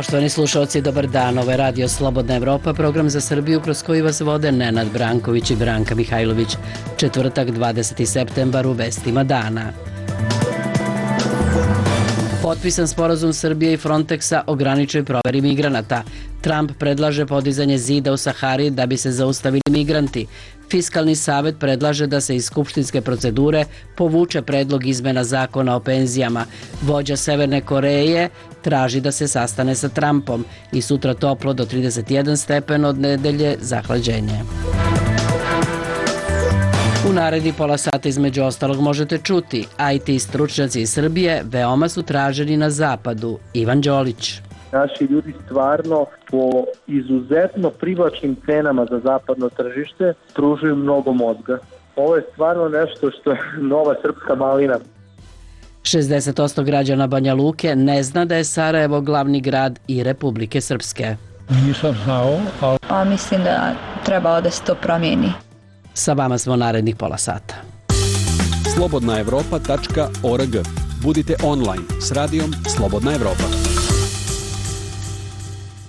Poštovani slušalci, dobar dan. Ovo je Radio Slobodna Evropa, program za Srbiju kroz koji vas vode Nenad Branković i Branka Mihajlović. Četvrtak, 20. septembar, u vestima dana. Potpisan sporazum Srbije i Frontexa o graničnoj proveri migranata. Trump predlaže podizanje zida u Sahari da bi se zaustavili migranti. Fiskalni savet predlaže da se iz skupštinske procedure povuče predlog izmena zakona o penzijama. Vođa Severne Koreje traži da se sastane sa Trumpom i sutra toplo do 31 stepen, od nedelje zahlađenje. U naredni pola sata između ostalog možete čuti: IT stručnjaci iz Srbije veoma su traženi na zapadu. Ivan Đolić. Naši ljudi stvarno po izuzetno privlačnim cenama za zapadno tržište pružuju mnogo mozga. Ovo je stvarno nešto što je nova srpska malina. 60% građana Banja Luke ne zna da je Sarajevo glavni grad i Republike Srpske. Nisam znao, ali mislim da treba da se to promijeni. Sa vama smo narednih pola sata. slobodnaevropa.org. Budite online s radijom Slobodna Evropa.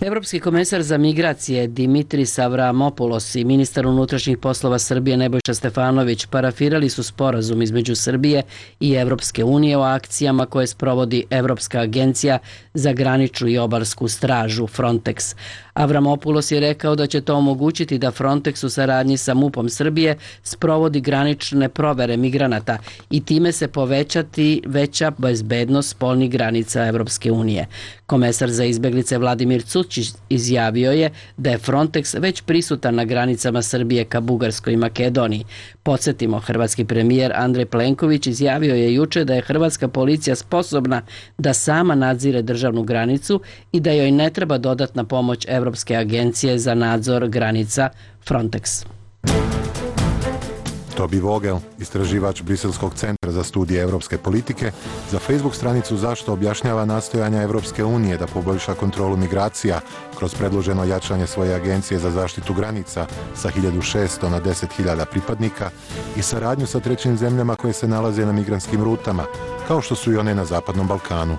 Evropski komesar za migracije Dimitris Avramopoulos i ministar unutrašnjih poslova Srbije Nebojša Stefanović parafirali su sporazum između Srbije i Evropske unije o akcijama koje sprovodi Evropska agencija za graničnu i obalsku stražu Frontex. Avramopoulos je rekao da će to omogućiti da Frontex u saradnji sa MUP-om Srbije sprovodi granične provere migranata i time se povećati veća bezbednost spoljnih granica Evropske unije. Komesar za izbeglice Vladimir Cučić izjavio je da je Frontex već prisutan na granicama Srbije ka Bugarskoj i Makedoniji. Podsjetimo, hrvatski premijer Andrej Plenković izjavio je juče da je hrvatska policija sposobna da sama nadzire državnu granicu i da joj ne treba dodatna pomoć Evropske agencije za nadzor granica Frontex. Tobi Vogel, istraživač Briselskog centra za studije evropske politike, za Facebook stranicu Zašto objašnjava nastojanja Evropske unije da poboljša kontrolu migracija kroz predloženo jačanje svoje agencije za zaštitu granica sa 1600 na 10.000 pripadnika i saradnju sa trećim zemljama koje se nalaze na migrantskim rutama, kao što su i one na Zapadnom Balkanu.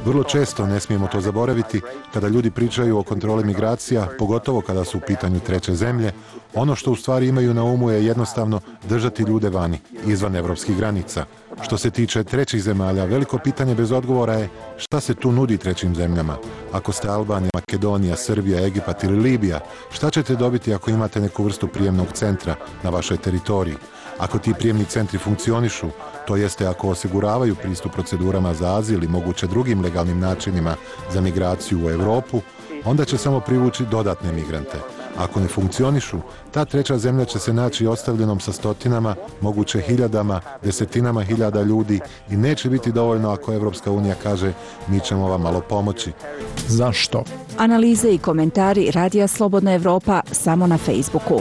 Vrlo često ne smijemo to zaboraviti kada ljudi pričaju o kontroli migracija, pogotovo kada su u pitanju treće zemlje. Ono što u stvari imaju na umu je jednostavno držati ljude vani, izvan evropskih granica. Što se tiče trećih zemalja, veliko pitanje bez odgovora je šta se tu nudi trećim zemljama. Ako ste Albanija, Makedonija, Srbija, Egipat ili Libija, šta ćete dobiti ako imate neku vrstu prijemnog centra na vašoj teritoriji? Ako ti prijemni centri funkcionišu, to jeste ako osiguravaju pristup procedurama za azil i moguće drugim legalnim načinima za migraciju u Europu, onda će samo privući dodatne migrante. Ako ne funkcionišu, ta treća zemlja će se naći ostavljenom sa stotinama, moguće hiljadama, desetinama hiljada ljudi i neće biti dovoljno ako Evropska unija kaže mi ćemo vam malo pomoći. zašto? Analize i komentari Radija Slobodna Evropa samo na Facebooku.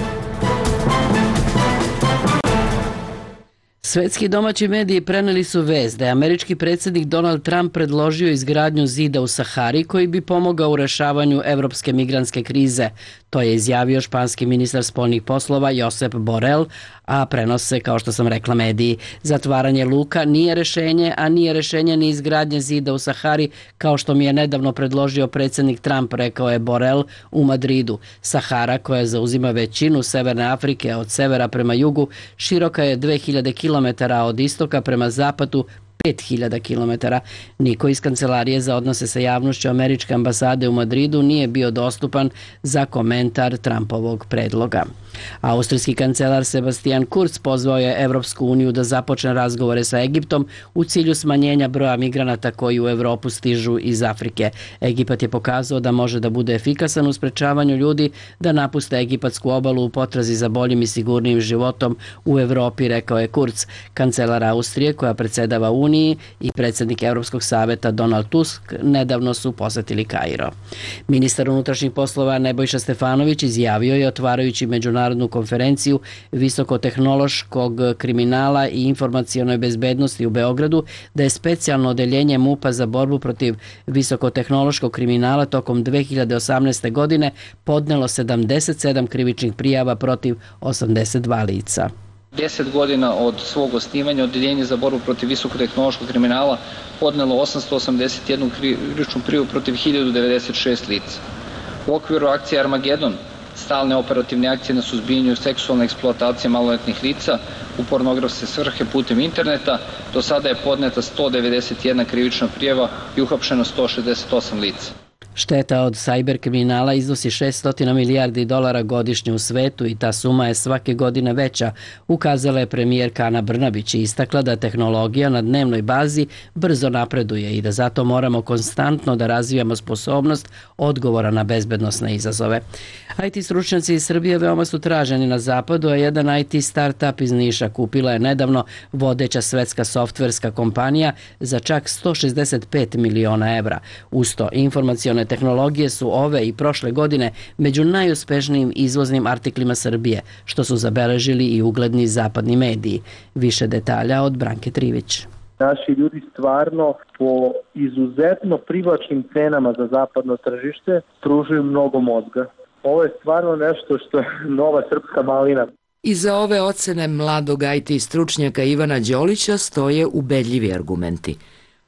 Svetski domaći mediji preneli su vest da je američki predsjednik Donald Trump predložio izgradnju zida u Sahari koji bi pomogao u rešavanju evropske migrantske krize. To je izjavio španski ministar spoljnih poslova Josep Borrell, a prenose, kao što sam rekla, mediji. Zatvaranje luka nije rešenje, a nije rešenje ni izgradnje zida u Sahari, kao što mi je nedavno predložio predsjednik Trump, rekao je Borrell u Madridu. Sahara, koja zauzima većinu Severne Afrike od severa prema jugu, široka je 2000 km, od istoka prema zapadu 5000 km. Niko iz kancelarije za odnose sa javnošću američke ambasade u Madridu nije bio dostupan za komentar Trumpovog predloga. Austrijski kancelar Sebastian Kurz pozvao je Evropsku uniju da započne razgovore sa Egiptom u cilju smanjenja broja migranata koji u Evropu stižu iz Afrike. Egipat je pokazao da može da bude efikasan u sprečavanju ljudi da napuste egipatsku obalu u potrazi za boljim i sigurnijim životom u Evropi, rekao je Kurz. Kancelar Austrije, koja predsedava Uniji, i predsjednik Evropskog saveta Donald Tusk nedavno su posetili Kairo. Ministar unutrašnjih poslova Nebojša Stefanović izjavio je, otvarajući međunarodnu konferenciju visokotehnološkog kriminala i informacionoj bezbednosti u Beogradu, da je specijalno odeljenje MUP-a za borbu protiv visokotehnološkog kriminala tokom 2018. godine podnelo 77 krivičnih prijava protiv 82 lica. 10 godina od svog osnivanja Odeljenje za borbu protiv visokotehnološkog kriminala podnelo 881 krivičnu prijavu protiv 1096 lica. U okviru akcije Armagedon, stalne operativne akcije na suzbijanju seksualne eksploatacije maloletnih lica u pornografske svrhe putem interneta, do sada je podneta 191 krivična prijava i uhapšeno 168 lica. Šteta od sajber kriminala iznosi 600 milijardi dolara godišnje u svetu i ta suma je svake godine veća, ukazala je premijerka Ana Brnabić i istakla da tehnologija na dnevnoj bazi brzo napreduje i da zato moramo konstantno da razvijamo sposobnost odgovora na bezbednosne izazove. IT stručnjaci iz Srbije veoma su traženi na zapadu, a jedan IT startup iz Niša kupila je nedavno vodeća svetska softverska kompanija za čak 165 miliona evra. Usto, informacione tehnologije su ove i prošle godine među najuspešnijim izvoznim artiklima Srbije, što su zabeležili i ugledni zapadni mediji. Više detalja od Branke Trivić. Naši ljudi stvarno po izuzetno privlačnim cenama za zapadno tržište pružuju mnogo mozga. Ovo je stvarno nešto što je nova srpska malina. Iza ove ocene mladog IT stručnjaka Ivana Đolića stoje ubedljivi argumenti.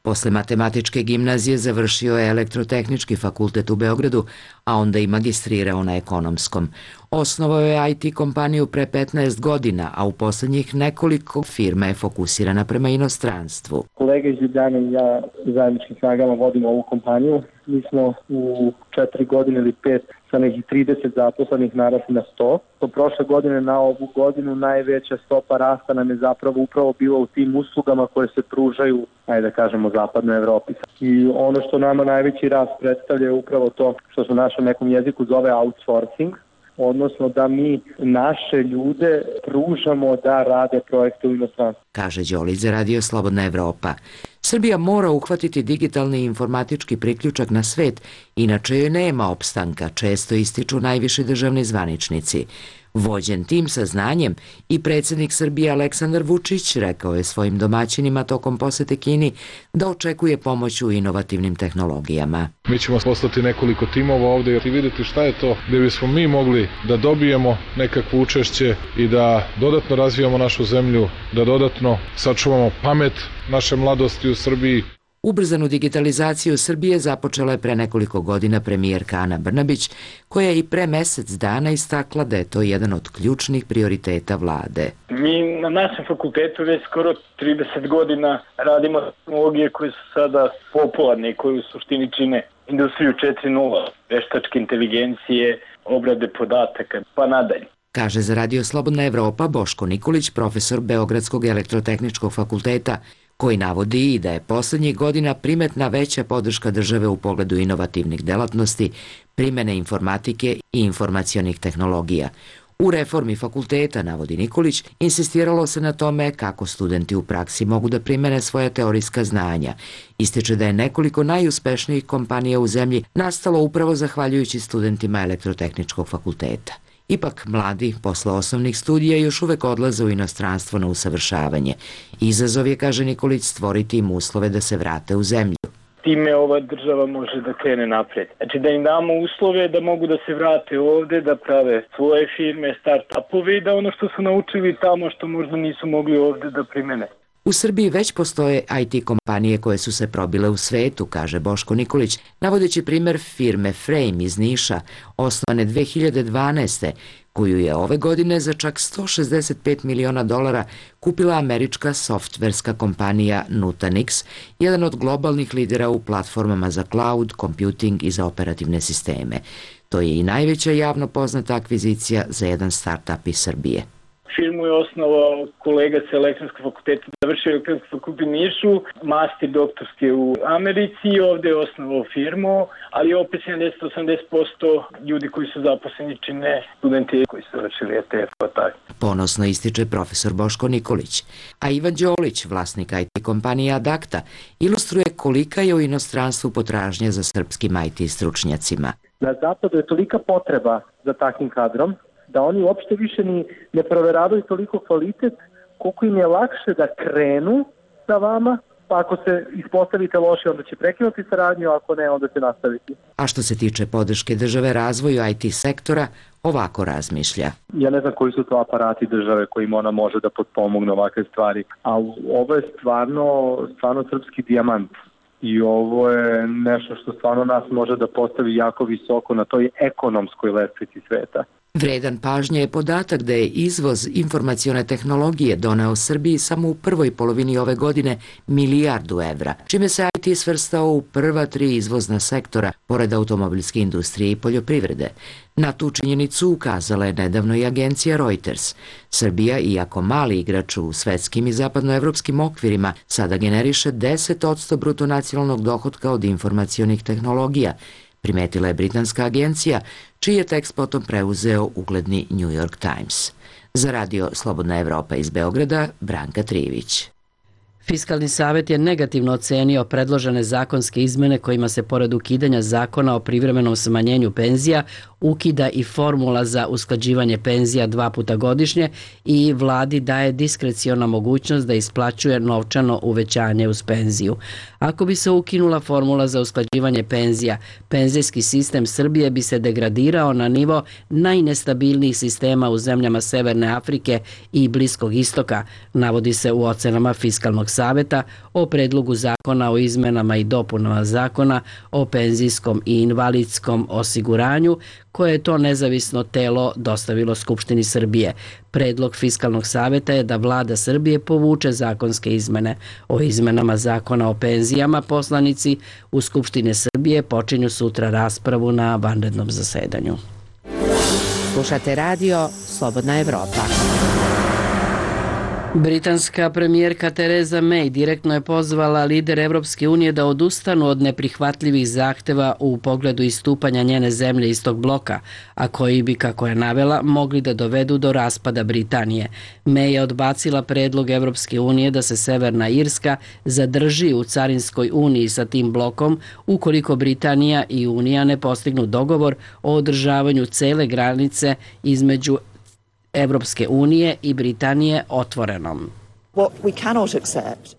Posle matematičke gimnazije završio je Elektrotehnički fakultet u Beogradu, a onda i magistrirao na ekonomskom. Osnovao je IT kompaniju pre 15 godina, a u poslednjih nekoliko firma je fokusirana prema inostranstvu. Kolega iz Ljubljane i ja zajedničkim snagama vodimo ovu kompaniju. Mi smo u 4 godine ili 5 sa nekih 30 zaposlenih narasli na 100. To prošle godine na ovu godinu najveća stopa rasta nam je zapravo upravo bila u tim uslugama koje se pružaju, ajde da kažemo, zapadnoj Evropi. I ono što nama najveći rast predstavlja je upravo to što se u našem nekom jeziku zove outsourcing, odnosno da mi naše ljude pružamo da rade projekte u inostranstvu. Kaže Đolić za Radio Slobodna Evropa. Srbija mora uhvatiti digitalni i informatički priključak na svet, inače joj nema opstanka, često ističu najviši državni zvaničnici. Vođen tim saznanjem i predsjednik Srbije Aleksandar Vučić rekao je svojim domaćinima tokom posete Kini da očekuje pomoć u inovativnim tehnologijama. Mi ćemo poslati nekoliko timova ovde i vidjeti šta je to gdje bismo mi mogli da dobijemo nekakvo učešće i da dodatno razvijamo našu zemlju, da dodatno sačuvamo pamet naše mladosti u Srbiji. Ubrzanu digitalizaciju Srbije započela je pre nekoliko godina premijerka Ana Brnabić, koja je i pre mesec dana istakla da je to jedan od ključnih prioriteta vlade. Mi na našem fakultetu već skoro 30 godina radimo tehnologije koje su sada popularne i koje u suštini čine industriju 4.0, veštačke inteligencije, obrade podataka, pa nadalje. Kaže za Radio Slobodna Evropa Boško Nikolić, profesor Beogradskog elektrotehničkog fakulteta, koji navodi i da je poslednjih godina primetna veća podrška države u pogledu inovativnih delatnosti, primene informatike i informacionih tehnologija. U reformi fakulteta, navodi Nikolić, insistiralo se na tome kako studenti u praksi mogu da primene svoja teorijska znanja. Ističe da je nekoliko najuspešnijih kompanija u zemlji nastalo upravo zahvaljujući studentima elektrotehničkog fakulteta. Ipak, mladi posle osnovnih studija još uvek odlaze u inostranstvo na usavršavanje. Izazov je, kaže Nikolić, stvoriti im uslove da se vrate u zemlju. Time ova država može da krene napred. Znači da im damo uslove da mogu da se vrate ovde, da prave svoje firme, start-upove i da ono što su naučili tamo što možda nisu mogli ovde da primene. U Srbiji već postoje IT kompanije koje su se probile u svetu, kaže Boško Nikolić, navodeći primer firme Frame iz Niša, osnovane 2012. koju je ove godine za čak 165 miliona dolara kupila američka softverska kompanija Nutanix, jedan od globalnih lidera u platformama za cloud, computing i za operativne sisteme. To je i najveća javno poznata akvizicija za jedan start-up iz Srbije. Firmu je osnovao kolega sa elektronskog fakulteta, završio elektronski fakultet u Nišu, master doktorski u Americi i ovde je osnovao firmu, ali opet 70-80% ljudi koji su zaposleni čine studenti koji su završili ETF. Ponosno ističe profesor Boško Nikolić. A Ivan Đolić, vlasnik IT kompanije Adakta, ilustruje kolika je u inostranstvu potražnja za srpskim IT stručnjacima. Na zapadu je tolika potreba za takvim kadrom da oni uopšte više ne proveravaju toliko kvalitet, koliko im je lakše da krenu sa vama, pa ako se ispostavite loše, onda će prekinuti saradnju, ako ne, onda će nastaviti. A što se tiče podrške države razvoju IT sektora, ovako razmišlja. Ja ne znam koji su to aparati države kojim ona može da potpomogne ovakve stvari, ali ovo je stvarno srpski dijamant. I ovo je nešto što stvarno nas može da postavi jako visoko na toj ekonomskoj lestvici sveta. Vredan pažnje je podatak da je izvoz informacione tehnologije doneo Srbiji samo u prvoj polovini ove godine milijardu evra, čime se IT svrstao u prva 3 izvozna sektora, pored automobilske industrije i poljoprivrede. Na tu činjenicu ukazala je nedavno i agencija Reuters. Srbija, iako mali igrač u svetskim i zapadnoevropskim okvirima, sada generiše 10% bruto nacionalnog dohotka od informacionih tehnologija, primetila je britanska agencija, čiji je tekst potom preuzeo ugledni New York Times. Za radio Slobodna Evropa iz Beograda, Branka Trijević. Fiskalni savet je negativno ocenio predložene zakonske izmene kojima se pored ukidanja zakona o privremenom smanjenju penzija ukida i formula za usklađivanje penzija 2 puta godišnje i vladi daje diskreciona mogućnost da isplaćuje novčano uvećanje uz penziju. Ako bi se ukinula formula za usklađivanje penzija, penzijski sistem Srbije bi se degradirao na nivo najnestabilnijih sistema u zemljama Severne Afrike i Bliskog istoka, navodi se u ocenama Fiskalnog saveta o predlogu zakona o izmenama i dopunama zakona o penzijskom i invalidskom osiguranju, koje je to nezavisno telo dostavilo Skupštini Srbije. Predlog Fiskalnog saveta je da vlada Srbije povuče zakonske izmene. O izmenama zakona o penzijama poslanici u Skupštine Srbije počinju sutra raspravu na vanrednom zasedanju. Slušate radio Slobodna Evropa. Britanska premijerka Theresa May direktno je pozvala lidere Evropske unije da odustanu od neprihvatljivih zahteva u pogledu istupanja njene zemlje iz tog bloka, a koji bi, kako je navela, mogli da dovedu do raspada Britanije. May je odbacila predlog Evropske unije da se Severna Irska zadrži u carinskoj uniji sa tim blokom ukoliko Britanija i Unija ne postignu dogovor o održavanju cele granice između Evropske unije i Britanije otvorenom.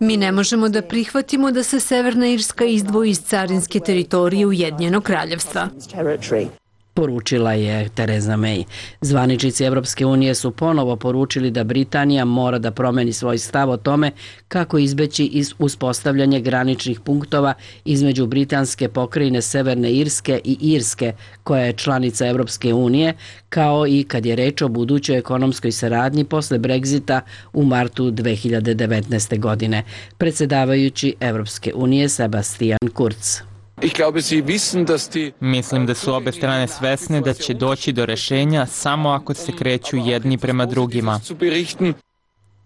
Mi ne možemo da prihvatimo da se Severna Irska izdvoji iz carinske teritorije Ujedinjenog kraljevstva, poručila je Theresa May. Zvaničnici Evropske unije su ponovo poručili da Britanija mora da promeni svoj stav o tome kako izbeći uspostavljanje graničnih punktova između britanske pokrajine Severne Irske i Irske, koja je članica Evropske unije, kao i kad je reč o budućoj ekonomskoj saradnji posle Brexita u martu 2019. godine. Predsjedavajući Evropske unije Sebastian Kurz. Mislim da su obe strane svesne da će doći do rešenja samo ako se kreću jedni prema drugima.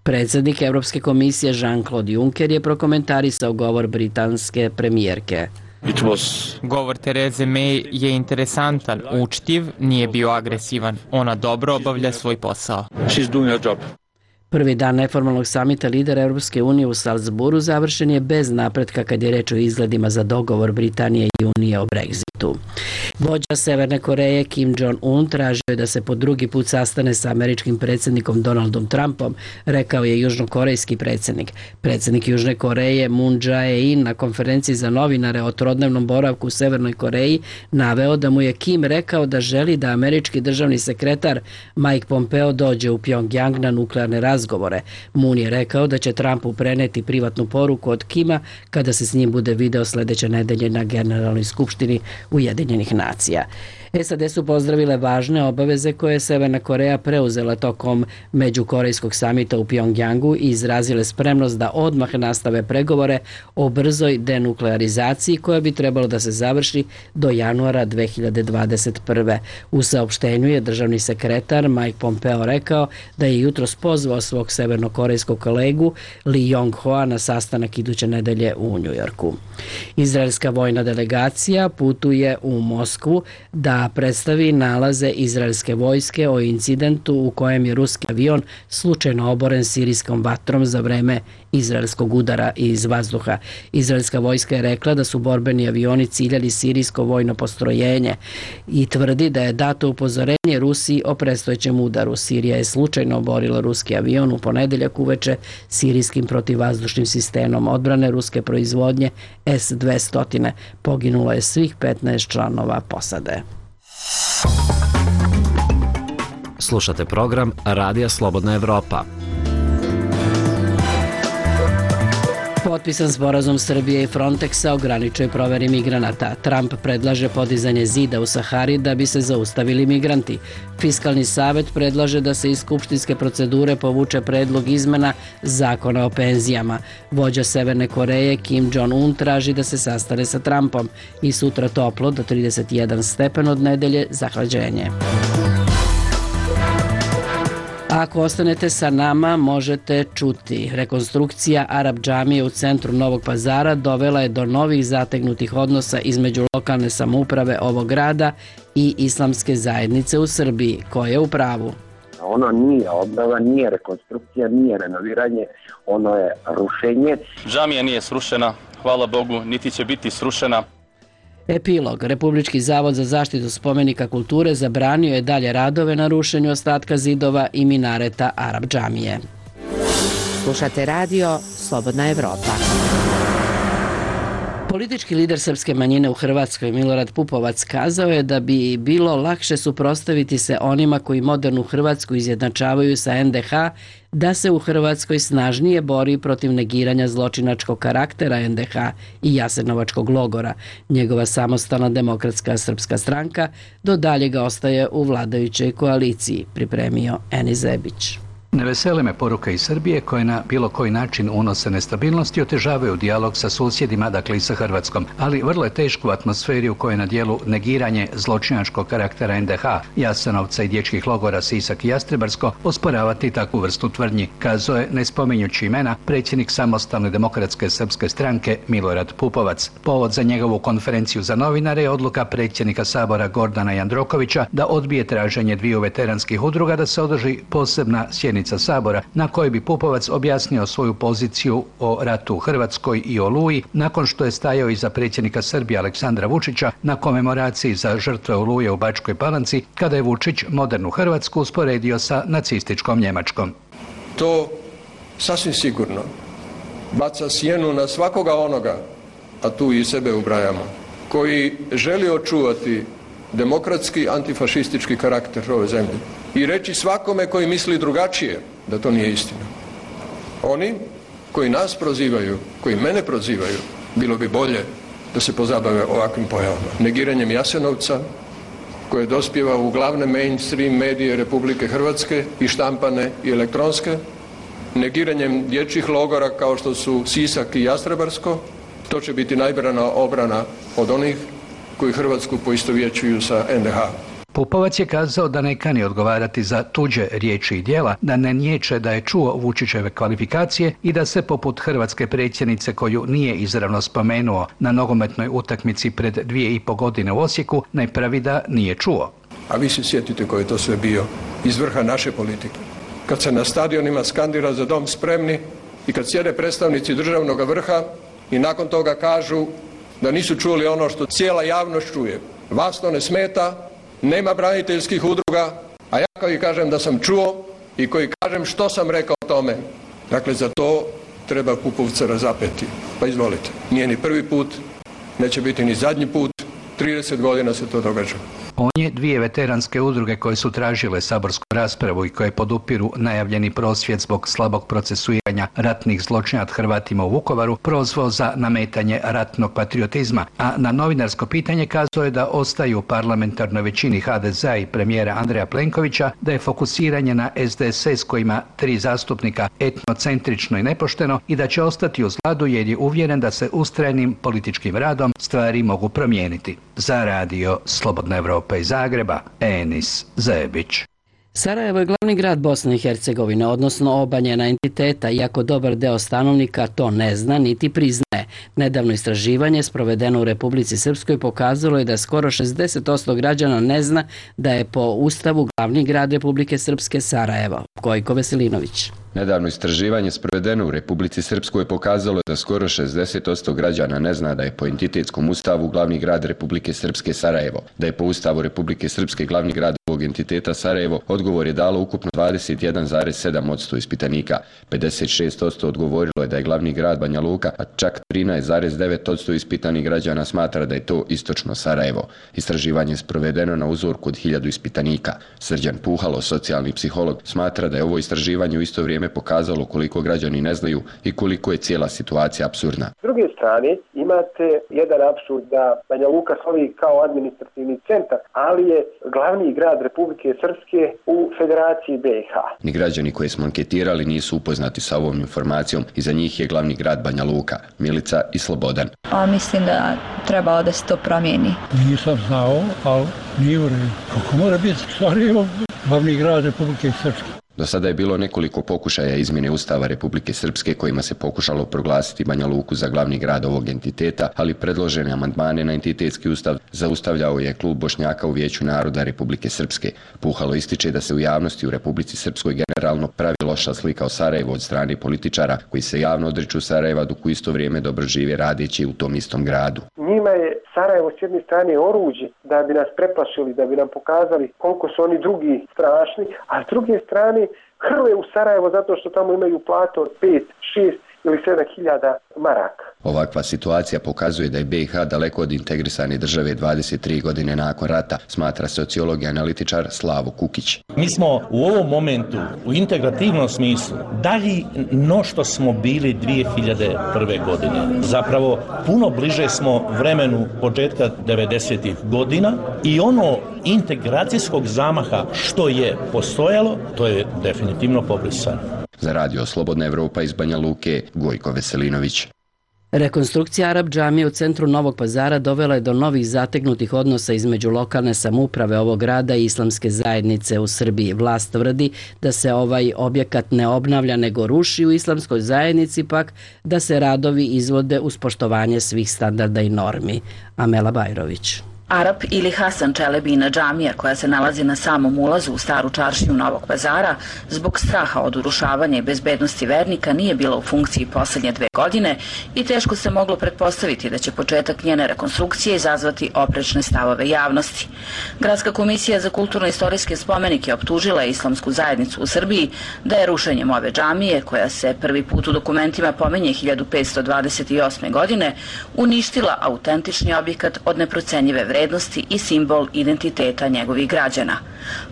Predsjednik Evropske komisije Jean-Claude Juncker je prokomentarisao govor britanske premijerke. Govor Therese May je interesantan, učtiv, nije bio agresivan. Ona dobro obavlja svoj posao. Prvi dan neformalnog samita lidera Evropske unije u Salzburu završen je bez napretka kad je reč o izgledima za dogovor Britanije i Unije o Brexitu. Vođa Severne Koreje Kim Jong-un tražio je da se po drugi put sastane sa američkim predsjednikom Donaldom Trumpom, rekao je južnokorejski predsjednik. Predsjednik Južne Koreje Moon Jae-in na konferenciji za novinare o trodnevnom boravku u Severnoj Koreji naveo da mu je Kim rekao da želi da američki državni sekretar Mike Pompeo dođe u Pyongyang na nuklearne razgovore. Moon je rekao da će Trumpu preneti privatnu poruku od Kima kada se s njim bude video sljedeće nedelje na Generalnoj skupštini Ujedinjenih nacija. SAD su pozdravile važne obaveze koje je Severna Koreja preuzela tokom međukorejskog samita u Pyongyangu i izrazile spremnost da odmah nastave pregovore o brzoj denuklearizaciji koja bi trebalo da se završi do januara 2021. U saopštenju je državni sekretar Mike Pompeo rekao da je jutros pozvao svog severnokorejskog kolegu Lee Yong-hoa na sastanak iduće nedelje u Njujorku. Izraelska vojna delegacija putuje u Moskvu da predstavi nalaze izraelske vojske o incidentu u kojem je ruski avion slučajno oboren sirijskom vatrom za vreme izraelskog udara iz vazduha. Izraelska vojska je rekla da su borbeni avioni ciljali sirijsko vojno postrojenje i tvrdi da je dato upozorenje Rusiji o predstojećem udaru. Sirija je slučajno oborila ruski avion u ponedeljak uveče sirijskim protivvazdušnim sistemom odbrane ruske proizvodnje S-200. Poginulo je svih 15 članova posade. Slušate program Radija Slobodna Evropa. Potpisan sporazum Srbije i Frontexa ograničuje proveri migranata. Trump predlaže podizanje zida u Sahari da bi se zaustavili migranti. Fiskalni savet predlaže da se iz skupštinske procedure povuče predlog izmena zakona o penzijama. Vođa Severne Koreje Kim Jong-un traži da se sastane sa Trumpom i sutra toplo do 31 stepen od nedelje zahlađenje. Ako ostanete sa nama, možete čuti. Rekonstrukcija Arab džamije u centru Novog Pazara dovela je do novih zategnutih odnosa između lokalne samouprave ovog grada i islamske zajednice u Srbiji. Ko je u pravu? Ono nije obnova, nije rekonstrukcija, nije renoviranje, ono je rušenje. Džamija nije srušena, hvala Bogu, niti će biti srušena. Epilog. Republički zavod za zaštitu spomenika kulture zabranio je dalje radove na rušenju ostatka zidova i minareta Arab džamije. Slušate radio Slobodna Evropa. Politički lider srpske manjine u Hrvatskoj Milorad Pupovac kazao je da bi bilo lakše suprotstaviti se onima koji modernu Hrvatsku izjednačavaju sa NDH, da se u Hrvatskoj snažnije bori protiv negiranja zločinačkog karaktera NDH i Jasenovačkog logora. Njegova samostalna demokratska srpska stranka do daljega ostaje u vladajućoj koaliciji, pripremio Eni Zebić. Ne vesele me poruka iz Srbije koje na bilo koji način unose nestabilnost i otežavaju dijalog sa susjedima, dakle i sa Hrvatskom. Ali vrlo je teško u atmosferi u kojoj je na dijelu negiranje zločinačkog karaktera NDH, Jasenovca i dječjih logora Sisak i Jastrebarsko osporavati takvu vrstu tvrdnji, kazao je, ne spominjući imena, predsjednik samostalne demokratske srpske stranke Milorad Pupovac. Povod za njegovu konferenciju za novinare je odluka predsjednika Sabora Gordana Jandrokovića da odbije traženje dviju veteranskih udruga da se održi posebna sjednica Sabora na kojoj bi Pupovac objasnio svoju poziciju o ratu u Hrvatskoj i Oluji nakon što je stajao iza predsjednika Srbije Aleksandra Vučića na komemoraciji za žrtve Oluje u Bačkoj Palanci kada je Vučić modernu Hrvatsku usporedio sa nacističkom Njemačkom. To sasvim sigurno baca sjenu na svakoga onoga, a tu i sebe ubrajamo, koji želi očuvati demokratski antifašistički karakter ove zemlje i reći svakome koji misli drugačije da to nije istina. Oni koji nas prozivaju, koji mene prozivaju, bilo bi bolje da se pozabave ovakvim pojavama. Negiranjem Jasenovca, koje dospijeva u glavne mainstream medije Republike Hrvatske, i štampane i elektronske, negiranjem dječjih logora kao što su Sisak i Jastrebarsko, to će biti najbrana obrana od onih koji Hrvatsku poistovjećuju sa NDH. Pupovac je kazao da ne kani odgovarati za tuđe riječi i djela, da ne niječe da je čuo Vučićeve kvalifikacije i da se poput hrvatske predsjednice koju nije izravno spomenuo na nogometnoj utakmici pred 2,5 godine u Osijeku ne pravi da nije čuo. A vi se sjetite ko je to sve bio iz vrha naše politike. Kad se na stadionima skandira za dom spremni i kad sjede predstavnici državnog vrha i nakon toga kažu da nisu čuli ono što cijela javnost čuje. Vas to ne smeta, nema braniteljskih udruga, a ja koji kažem da sam čuo i koji kažem što sam rekao o tome. Dakle, za to treba Pupovca razapeti. Pa izvolite, nije ni prvi put, neće biti ni zadnji put, 30 godina se to događa. On je dvije veteranske udruge koje su tražile saborsku raspravu i koje podupiru najavljeni prosvjed zbog slabog procesuiranja ratnih zločina nad Hrvatima u Vukovaru prozvao za nametanje ratnog patriotizma, a na novinarsko pitanje kazao je da ostaju u parlamentarnoj većini HDZ-a i premijera Andreja Plenkovića, da je fokusiranje na SDSS koji ima 3 zastupnika etnocentrično i nepošteno i da će ostati uz vladu jer je uvjeren da se ustrajnim političkim radom stvari mogu promijeniti. Za radio Slobodna Evropa iz Zagreba, Enis Zebić. Sarajevo je glavni grad Bosne i Hercegovine, odnosno obanjena entiteta, iako dobar deo stanovnika to ne zna niti priznaje. Nedavno istraživanje sprovedeno u Republici Srpskoj pokazalo je da skoro 60% građana ne zna da je po Ustavu glavni grad Republike Srpske Sarajevo. Gojko Veselinović. Nedavno istraživanje sprovedeno u Republici Srpskoj pokazalo da skoro 60% građana ne zna da je po entitetskom ustavu glavni grad Republike Srpske Sarajevo. Da je po ustavu Republike Srpske glavni grad ovog entiteta Sarajevo, odgovor je dalo ukupno 21,7% ispitanika. 56% odgovorilo je da je glavni grad Banja Luka, a čak 13,9% ispitanih građana smatra da je to istočno Sarajevo. Istraživanje je sprovedeno na uzorku od 1000 ispitanika. Srđan Puhalo, socijalni psiholog, smatra da je ovo istraživanje u isto vrijeme pokazalo koliko građani ne znaju i koliko je cijela situacija apsurdna. S druge strane, imate jedan apsurd da Banja Luka slovi kao administrativni centar, ali je glavni grad Republike Srpske u Federaciji BiH. Ni građani koje smo anketirali nisu upoznati sa ovom informacijom i za njih je glavni grad Banja Luka, Milica i Slobodan. Mislim da treba da se to promijeni. Nisam znao, ali nije u redu. Kako mora biti Sarajevo glavni grad Republike Srpske? Do sada je bilo nekoliko pokušaja izmjene Ustava Republike Srpske kojima se pokušalo proglasiti Banja Luku za glavni grad ovog entiteta, ali predložene amandmane na entitetski ustav zaustavljao je klub Bošnjaka u Vijeću naroda Republike Srpske. Puhalo ističe da se u javnosti u Republici Srpskoj generalno pravi loša slika o Sarajevu od strane političara koji se javno odriču Sarajeva dok u isto vrijeme dobro žive radeći u tom istom gradu. Njima je Sarajevo s jedne strane oruđe da bi nas preplašili, da bi nam pokazali koliko su oni drugi strašni, a s druge strane hrle u Sarajevo zato što tamo imaju platu od 5, 6 ili 7.000 maraka. Ovakva situacija pokazuje da je BiH daleko od integrisane države 23 godine nakon rata, smatra sociolog i analitičar Slavo Kukić. Mi smo u ovom momentu u integrativnom smislu dalji no što smo bili 2001. godine. Zapravo puno bliže smo vremenu početka 90. godina i ono integracijskog zamaha što je postojalo, to je definitivno pobrisano. Za radio Slobodna Evropa iz Banja Luke, Gojko Veselinović. Rekonstrukcija Arap džamije u centru Novog Pazara dovela je do novih zategnutih odnosa između lokalne samouprave ovog grada i islamske zajednice u Srbiji. Vlast tvrdi da se ovaj objekat ne obnavlja nego ruši, u islamskoj zajednici pak da se radovi izvode uz poštovanje svih standarda i normi. Amela Bajrović. Arap ili Hasan Čelebina džamija koja se nalazi na samom ulazu u staru čaršiju Novog Pazara zbog straha od urušavanja i bezbednosti vernika nije bila u funkciji posljednje 2 godine i teško se moglo pretpostaviti da će početak njene rekonstrukcije izazvati oprečne stavove javnosti. Gradska komisija za kulturno-istorijske spomenike optužila je islamsku zajednicu u Srbiji da je rušenjem ove džamije, koja se prvi put u dokumentima pominje 1528. godine, uništila autentični objekat od neprocenjive vrednosti i simbol identiteta njegovih građana.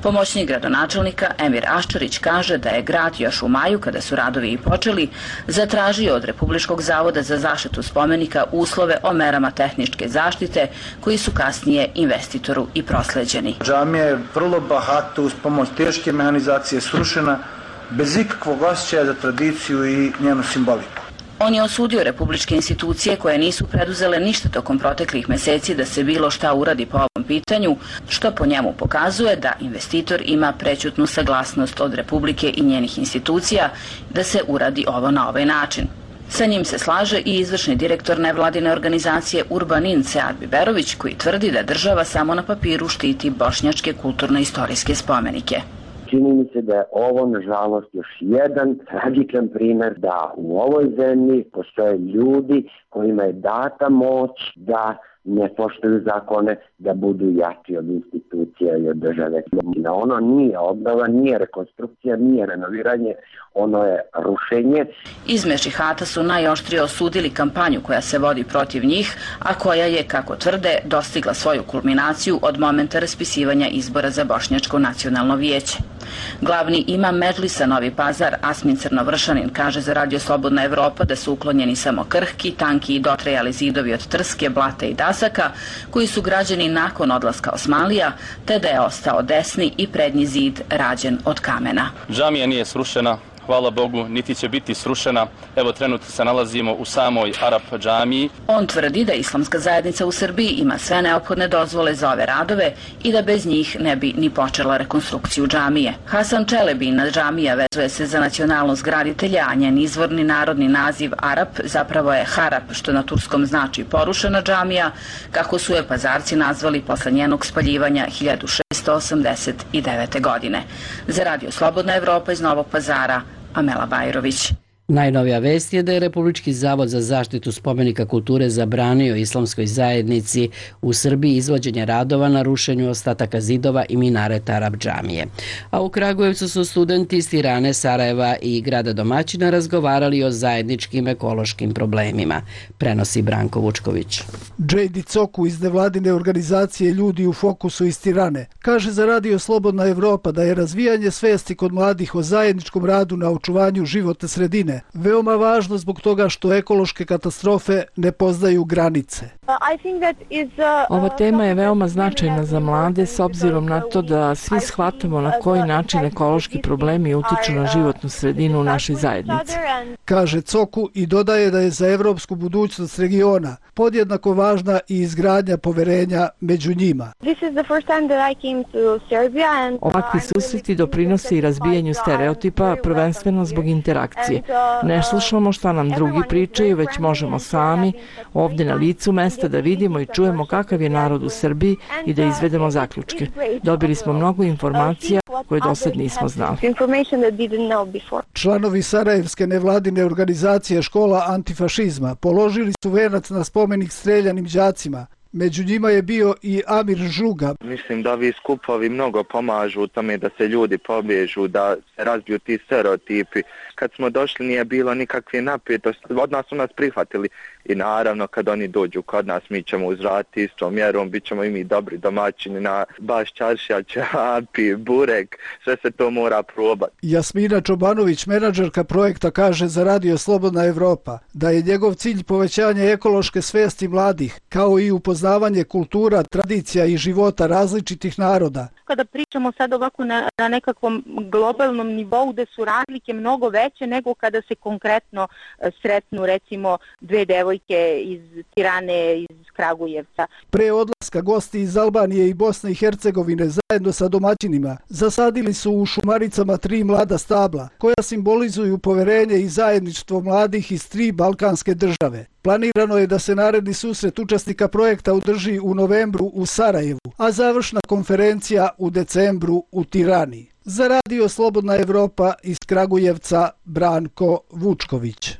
Pomoćnik gradonačelnika Emir Aščarić kaže da je grad još u maju, kada su radovi i počeli, zatražio od Republičkog zavoda za zaštitu spomenika uslove o merama tehničke zaštite koji su kasnije investitoru i prosleđeni. Džamija je vrlo bahato uz pomoć teške mehanizacije srušena bez ikakvog osjećaja za tradiciju i njenu simboliku. On je osudio republičke institucije koje nisu preduzele ništa tokom proteklih meseci da se bilo šta uradi po ovom pitanju, što po njemu pokazuje da investitor ima prećutnu saglasnost od Republike i njenih institucija da se uradi ovo na ovaj način. Sa njim se slaže i izvršni direktor nevladine organizacije Urbanin Sead Biberović, koji tvrdi da država samo na papiru štiti bošnjačke kulturno-istorijske spomenike. Čini mi se da je ovo, nažalost, još jedan tragičan primjer da u ovoj zemlji postoje ljudi kojima je data moć da ne poštuju zakone, da budu jači od institucija i od države. Ono nije obnova, nije rekonstrukcija, nije renoviranje, ono je rušenje. Iz Mešihata su najoštrije osudili kampanju koja se vodi protiv njih, a koja je, kako tvrde, dostigla svoju kulminaciju od momenta raspisivanja izbora za Bošnjačko nacionalno vijeće. Glavni imam Medžlisa Novi Pazar, Asmin Crnovršanin, kaže za radio Slobodna Evropa da su uklonjeni samo krhki, tanki i dotrajali zidovi od trske, blata i dasaka, koji su građeni nakon odlaska Osmanlija, te da je ostao desni i prednji zid rađen od kamena. Džamija nije srušena, hvala Bogu, niti će biti srušena. Evo, trenutno se nalazimo u samoj Arap džamiji. On tvrdi da islamska zajednica u Srbiji ima sve neophodne dozvole za ove radove i da bez njih ne bi ni počela rekonstrukciju džamije. Hasan Čelebina džamija vezuje se za nacionalnost graditelja, a njen izvorni narodni naziv Arap zapravo je Harap, što na turskom znači porušena džamija, kako su je Pazarci nazvali posle njenog spaljivanja 1689. godine. Za radio Slobodna Evropa iz Novog Pazara, Amela Bajrović. Najnovija vest je da je Republički zavod za zaštitu spomenika kulture zabranio islamskoj zajednici u Srbiji izvođenje radova na rušenju ostataka zidova i minareta Arap džamije. A u Kragujevcu su studenti iz Tirane, Sarajeva i grada domaćina razgovarali o zajedničkim ekološkim problemima, prenosi Branko Vučković. Džejdi Coku iz nevladine organizacije Ljudi u fokusu iz Tirane kaže za Radio Slobodna Evropa da je razvijanje svesti kod mladih o zajedničkom radu na očuvanju životne sredine veoma važno zbog toga što ekološke katastrofe ne poznaju granice. Ova tema je veoma značajna za mlade s obzirom na to da svi shvatamo na koji način ekološki problemi utiču na životnu sredinu u našoj zajednici. Kaže Coku i dodaje da je za evropsku budućnost regiona podjednako važna i izgradnja poverenja među njima. Ovakvi susreti doprinose i razbijanju stereotipa, prvenstveno zbog interakcije. Ne slušamo šta nam drugi pričaju, već možemo sami, ovdje na licu mesta, da vidimo i čujemo kakav je narod u Srbiji i da izvedemo zaključke. Dobili smo mnogo informacija koje do sad nismo znali. Članovi Sarajevske nevladine organizacije Škola antifašizma položili su venac na spomenik streljanim đacima. Među njima je bio i Amir Žuga. Mislim da ovi skupovi mnogo pomažu u tome da se ljudi pobježu, da se razbiju ti stereotipi. Kad smo došli nije bilo nikakve napetosti, od nas su nas prihvatili i naravno kad oni dođu kod nas mi ćemo uzvratiti istom mjerom, bit ćemo i mi dobri domaćini na baš čaršija, ćevapi, burek, sve se to mora probati. Jasmina Čobanović, menadžerka projekta, kaže za Radio Slobodna Evropa da je njegov cilj povećanje ekološke svesti mladih, kao i upoznavanje kultura, tradicija i života različitih naroda. Kada pričamo sad ovako na nekakvom globalnom nivou gde su razlike mnogo veće nego kada se konkretno sretnu recimo dve devojke iz Tirane, iz Kragujevca. Pre odlaska gosti iz Albanije i Bosne i Hercegovine zajedno sa domaćinima zasadili su u Šumaricama 3 mlada stabla koja simbolizuju poverenje i zajedništvo mladih iz 3 balkanske države. Planirano je da se naredni susret učesnika projekta održi u novembru u Sarajevu, a završna konferencija u decembru u Tirani. Za Radio Slobodna Evropa iz Kragujevca, Branko Vučković.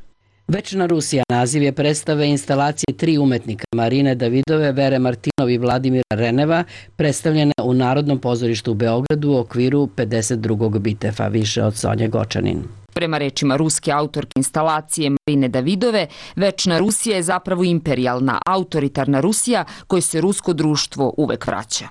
Večna Rusija naziv je predstave instalacije 3 umetnika Marine Davidove, Vere Martinov i Vladimira Reneva, predstavljene u Narodnom pozorištu u Beogradu u okviru 52. Bitefa, više od Sonje Gočanin. Prema rečima ruske autorke instalacije Marine Davidove, Večna Rusija je zapravo imperijalna, autoritarna Rusija kojoj se rusko društvo uvek vraća.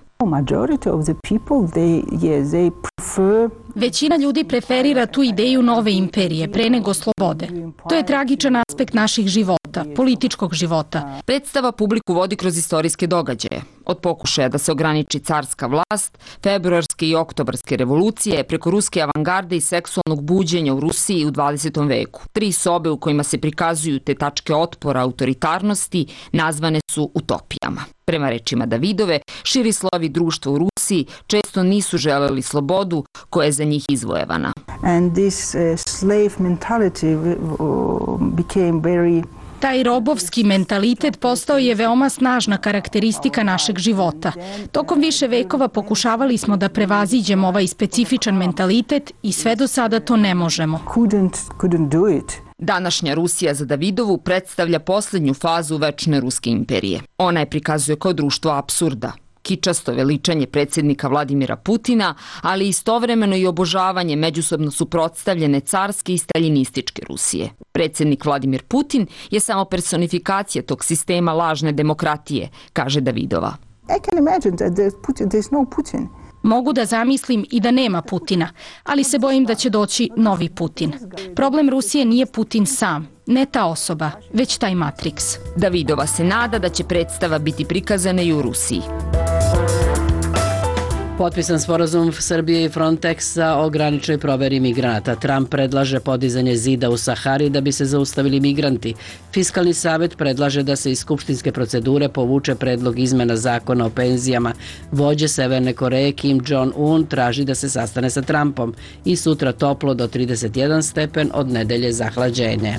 Većina ljudi preferira tu ideju nove imperije pre nego slobode. To je tragičan aspekt naših života, političkog života. Predstava publiku vodi kroz istorijske događaje. Od pokušaja da se ograniči carska vlast, februarske i oktobarske revolucije, preko ruske avangarde i seksualnog buđenja u Rusiji u 20. veku. 3 sobe u kojima se prikazuju te tačke otpora autoritarnosti nazvane su utopijama. Prema rečima Davidove, širi slovi društva u Rusiji često nisu želeli slobodu koja je za njih izvojevana. Taj robovski mentalitet postao je veoma snažna karakteristika našeg života. Tokom više vekova pokušavali smo da prevaziđemo ovaj specifičan mentalitet i sve do sada to ne možemo. Današnja Rusija za Davidovu predstavlja posljednju fazu Večne ruske imperije. Ona je prikazuje kao društvo apsurda, kičasto veličanje predsjednika Vladimira Putina, ali istovremeno i obožavanje međusobno suprotstavljene carske i staljinističke Rusije. Predsjednik Vladimir Putin je samo personifikacija tog sistema lažne demokratije, kaže Davidova. Mogu da zamislim i da nema Putina, ali se bojim da će doći novi Putin. Problem Rusije nije Putin sam, ne ta osoba, već taj Matrix. Davidova se nada da će predstava biti prikazana i u Rusiji. Potpisan sporazum Srbije i Frontexa o graničnoj proveri migranata. Trump predlaže podizanje zida u Sahari da bi se zaustavili migranti. Fiskalni savet predlaže da se iz skupštinske procedure povuče predlog izmena zakona o penzijama. Vođe Severne Koreje Kim Jong-un traži da se sastane sa Trumpom. I sutra toplo do 31 stepen, od nedelje zahlađenje.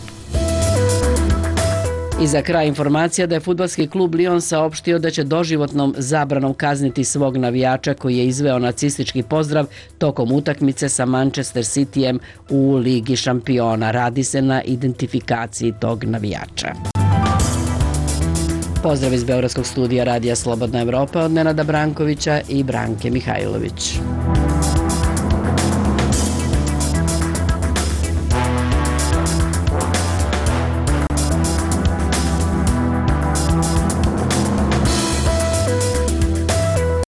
I za kraj informacija da je fudbalski klub Lyon saopštio da će doživotnom zabranom kazniti svog navijača koji je izveo nacistički pozdrav tokom utakmice sa Manchester Cityjem u Ligi šampiona. Radi se na identifikaciji tog navijača. Pozdrav iz Beogradskog studija Radija Slobodna Evropa od Nenada Brankovića i Branke Mihajlović.